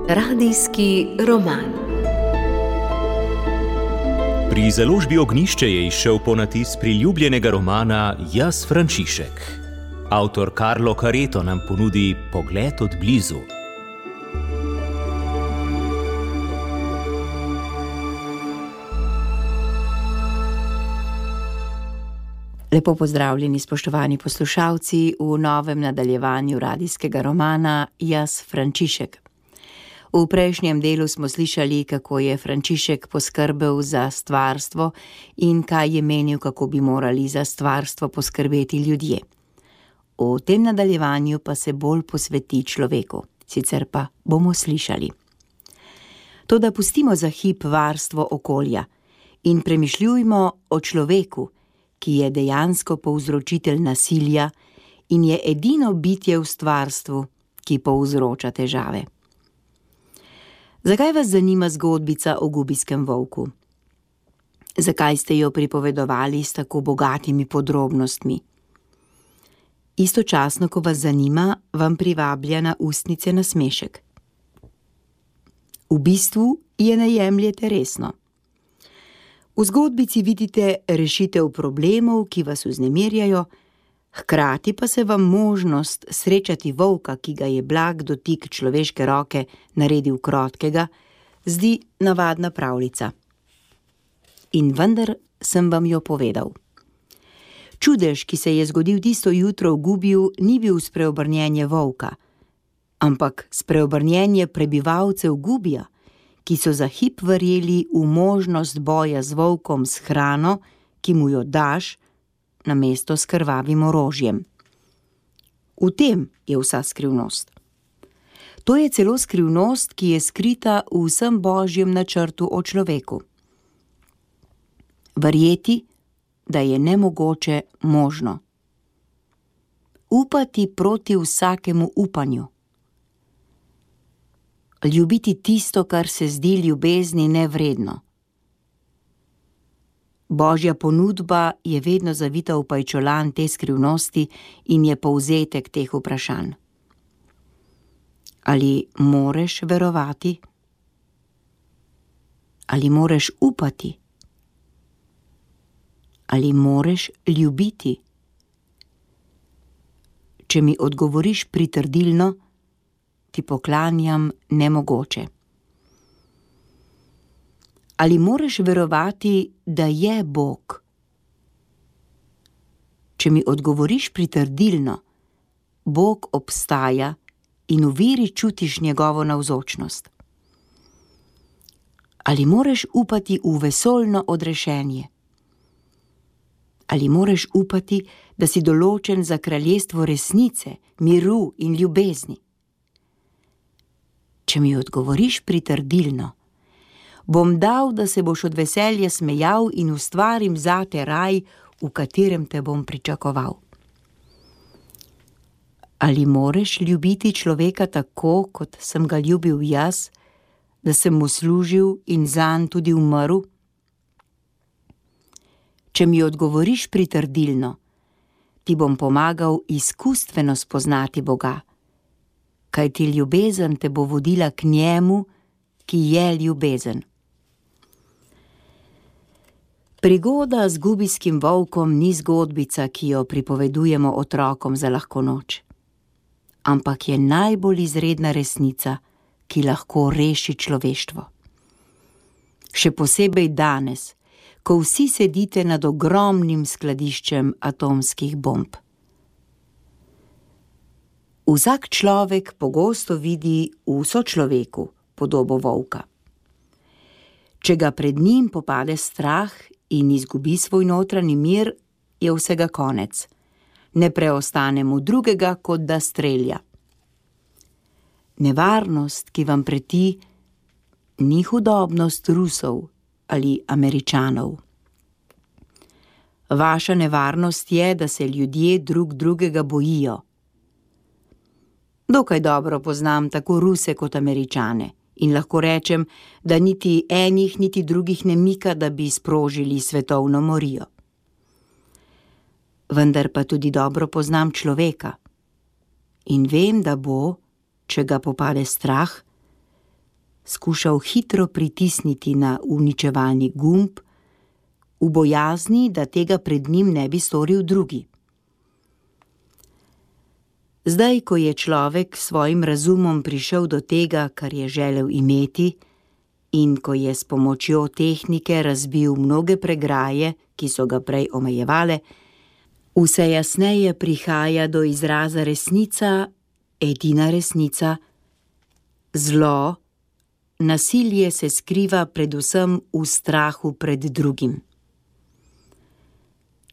Radijski roman. Pri založbi Ognjišče je izšel ponatis priljubljenega romana Jaz, Frančišek. Avtor Carlo Careto nam ponudi pogled od blizu. Lepo pozdravljeni, spoštovani poslušalci, v novem nadaljevanju radijskega romana Jaz, Frančišek. V prejšnjem delu smo slišali, kako je Frančišek poskrbel za stvarstvo in kaj je menil, kako bi morali za stvarstvo poskrbeti ljudje. V tem nadaljevanju pa se bolj posveti človeku, sicer pa bomo slišali. Toda pustimo za hip varstvo okolja in premišljujmo o človeku, ki je dejansko povzročitelj nasilja in je edino bitje v stvarstvu, ki povzroča težave. Zakaj vas zanima zgodbica o gubijskem volku? Zakaj ste jo pripovedovali s tako bogatimi podrobnostmi? Istočasno, ko vas zanima, vam privablja na ustnice nasmešek. V bistvu je ne jemljete resno. V zgodbici vidite rešitev problemov, ki vas vznemirjajo, hkrati pa se vam možnost srečati volka, ki ga je blag dotik človeške roke naredil krotkega, zdi navadna pravljica. In vendar sem vam jo povedal. Čudež, ki se je zgodil tisto jutro v Gubiju, ni bil spreobrnjenje volka, ampak spreobrnjenje prebivalcev Gubija, ki so za hip verjeli v možnost boja z volkom s hrano, ki mu jo daš, namesto s krvavim orožjem. V tem je vsa skrivnost. To je celo skrivnost, ki je skrita v vsem božjem načrtu o človeku. Verjeti, da je nemogoče možno. Upati proti vsakemu upanju. Ljubiti tisto, kar se zdi ljubezni nevredno. Božja ponudba je vedno zavita v pajčolan te skrivnosti in je povzetek teh vprašanj. Ali moreš verovati? Ali moreš upati? Ali moreš ljubiti? Če mi odgovoriš pritrdilno, ti poklanjam nemogoče. Ali moreš verovati, da je Bog? Če mi odgovoriš pritrdilno, Bog obstaja in v veri čutiš njegovo navzočnost. Ali moreš upati v vesoljno odrešenje? Ali moreš upati, da si določen za kraljestvo resnice, miru in ljubezni? Če mi odgovoriš pritrdilno, bom dal, da se boš od veselja smejal in ustvarim zate raj, v katerem te bom pričakoval. Ali moreš ljubiti človeka tako, kot sem ga ljubil jaz, da sem mu služil in zanj tudi umrl? Če mi odgovoriš pritrdilno, ti bom pomagal izkustveno spoznati Boga, kajti ljubezen te bo vodila k njemu, ki je ljubezen. Prigoda z gubijskim volkom ni zgodbica, ki jo pripovedujemo otrokom za lahko noč, ampak je najbolj izredna resnica, ki lahko reši človeštvo. Še posebej danes, ko vsi sedite nad ogromnim skladiščem atomskih bomb. Vsak človek pogosto vidi v sočloveku podobo volka. Če ga pred njim popade strah in izgubi svoj notranji mir, je vsega konec. Ne preostane mu drugega, kot da strelja. Nevarnost, ki vam preti, ni hudobnost Rusov ali Američanov. Vaša nevarnost je, da se ljudje drug drugega bojijo. Dokaj dobro poznam tako Ruse kot Američane in lahko rečem, da niti enih, niti drugih ne mika, da bi sprožili svetovno morijo. vendar pa tudi dobro poznam človeka. In vem, da bo, če ga popade strah, skušal hitro pritisniti na uničevalni gumb, v bojazni, da tega pred njim ne bi storil drugi. Zdaj, ko je človek s svojim razumom prišel do tega, kar je želel imeti, in ko je s pomočjo tehnike razbil mnoge pregraje, ki so ga prej omejevale, vse jasneje prihaja do izraza resnica, edina resnica, zlo, nasilje se skriva predvsem v strahu pred drugim.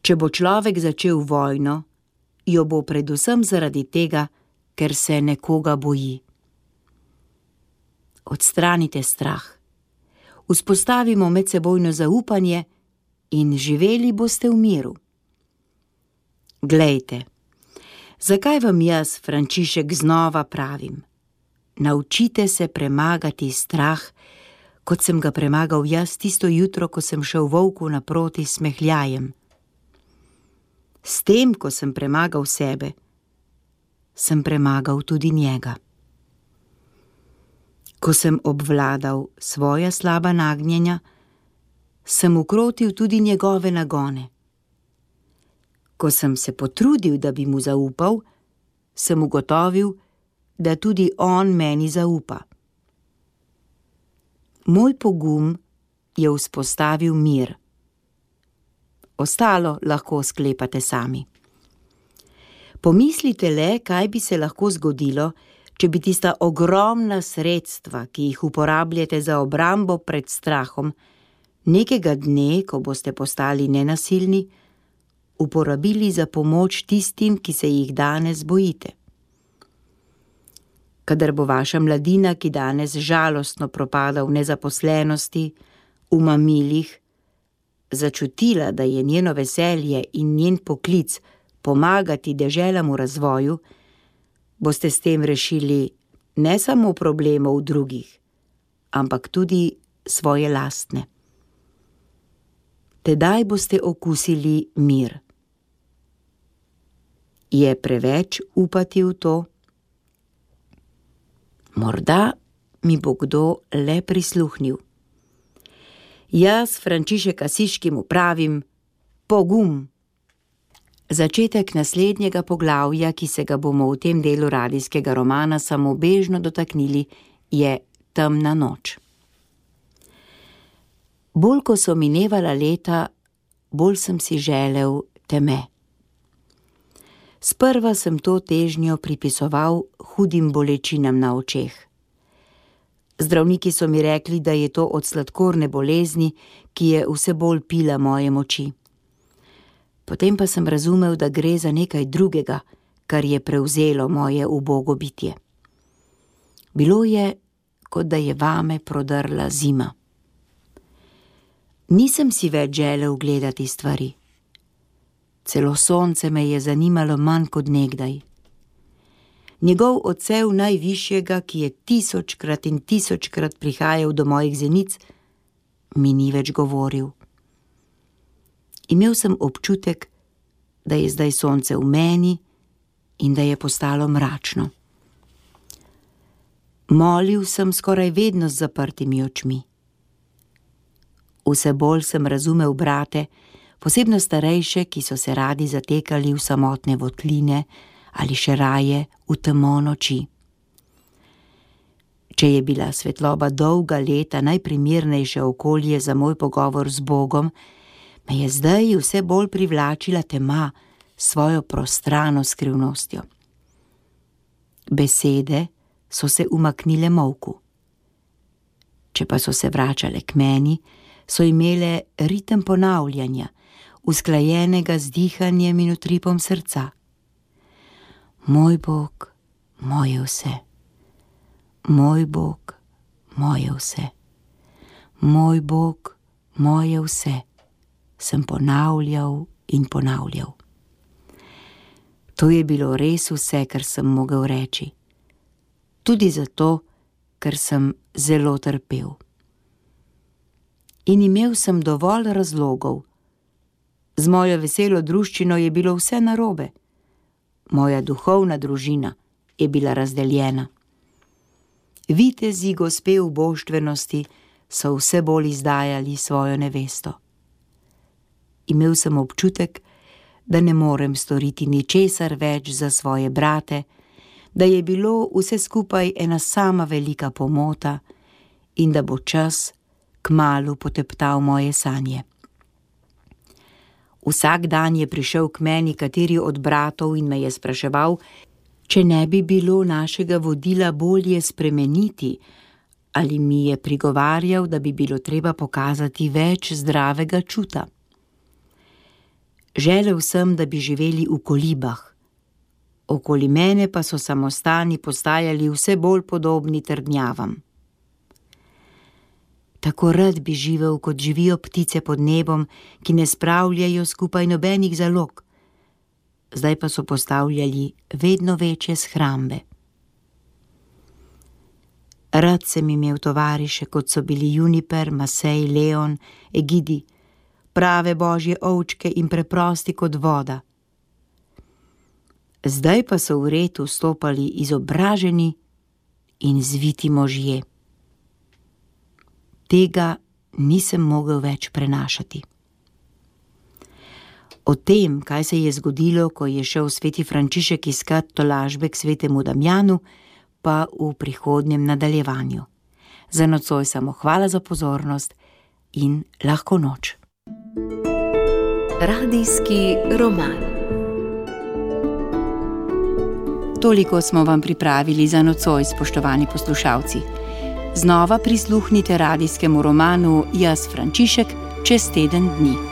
Če bo človek začel vojno, jo bo predvsem zaradi tega, ker se nekoga boji. Odstranite strah. Vzpostavimo medsebojno zaupanje in živeli boste v miru. Glejte, zakaj vam jaz, Frančišek, znova pravim? Naučite se premagati strah, kot sem ga premagal jaz tisto jutro, ko sem šel volku naproti s smehljajem. S tem, ko sem premagal sebe, sem premagal tudi njega. Ko sem obvladal svoja slaba nagnjenja, sem ukrotil tudi njegove nagone. Ko sem se potrudil, da bi mu zaupal, sem ugotovil, da tudi on meni zaupa. Moj pogum je vzpostavil mir. Ostalo lahko sklepate sami. Pomislite le, kaj bi se lahko zgodilo, če bi tista ogromna sredstva, ki jih uporabljate za obrambo pred strahom, nekega dne, ko boste postali nenasilni, uporabili za pomoč tistim, ki se jih danes bojite. Kadar bo vaša mladina, ki danes žalostno propada v nezaposlenosti, v mamilih, začutila, da je njeno veselje in njen poklic pomagati deželam v razvoju, boste s tem rešili ne samo problemov drugih, ampak tudi svoje lastne. Tedaj boste okusili mir. Je preveč upati v to? Morda mi bo kdo le prisluhnil. Jaz, Frančišek Asiški, mu pravim pogum. Začetek naslednjega poglavja, ki se ga bomo v tem delu radijskega romana samo bežno dotaknili, je Temna noč. Bolj ko so minevala leta, bolj sem si želel teme. Sprva sem to težnjo pripisoval hudim bolečinam na očeh. Zdravniki so mi rekli, da je to od sladkorne bolezni, ki je vse bolj pila moje moči. Potem pa sem razumel, da gre za nekaj drugega, kar je prevzelo moje ubogo bitje. Bilo je, kot da je vame prodrla zima. Nisem si več želel gledati stvari. Celo sonce me je zanimalo manj kot nekdaj. Njegov odsev najvišjega, ki je 1000-krat in 1000-krat prihajal do mojih zenic, mi ni več govoril. Imel sem občutek, da je zdaj sonce v meni in da je postalo mračno. Molil sem skoraj vedno z zaprtimi očmi. Vse bolj sem razumel brate, posebno starejše, ki so se radi zatekali v samotne votline ali še raje v temo noči. Če je bila svetloba dolga leta najprimernejše okolje za moj pogovor z Bogom, me je zdaj vse bolj privlačila tema s svojo prostrano skrivnostjo. Besede so se umaknile molku. Če pa so se vračale k meni, so imele ritem ponavljanja, usklajenega z dihanjem in utripom srca. Moj Bog, moje vse. Moj Bog, moje vse. Moj Bog, moje vse. Sem ponavljal in ponavljal. To je bilo res vse, kar sem mogel reči. Tudi zato, ker sem zelo trpel. In imel sem dovolj razlogov, Z mojo veselo druščino je bilo vse narobe. Moja duhovna družina je bila razdeljena. Vitezi gospe ubožtvenosti so vse bolj izdajali svojo nevesto. Imel sem občutek, da ne morem storiti ničesar več za svoje brate, da je bilo vse skupaj ena sama velika pomota in da bo čas kmalu poteptal moje sanje. Vsak dan je prišel k meni kateri od bratov in me je spraševal, če ne bi bilo našega vodila bolje spremeniti, ali mi je prigovarjal, da bi bilo treba pokazati več zdravega čuta. Želel sem, da bi živeli v kolibah. Okoli mene pa so samostani postajali vse bolj podobni trdnjavam. Tako rad bi živel, kot živijo ptice pod nebom, ki ne spravljajo skupaj nobenih zalog. Zdaj pa so postavljali vedno večje shrambe. Rad sem imel tovariše, kot so bili Juniper, Masej, Leon, Egidi, prave božje ovčke in preprosti kot voda. Zdaj pa so v red vstopali izobraženi in zviti možje. Tega nisem mogel več prenašati. O tem, kaj se je zgodilo, ko je šel sveti Frančišek iskat tolažbe k svetemu Damjanu, pa v prihodnjem nadaljevanju. Za nocoj samo hvala za pozornost in lahko noč. Radijski roman. Toliko smo vam pripravili za nocoj, spoštovani poslušalci. Znova prisluhnite radijskemu romanu Jaz Frančišek čez teden dni.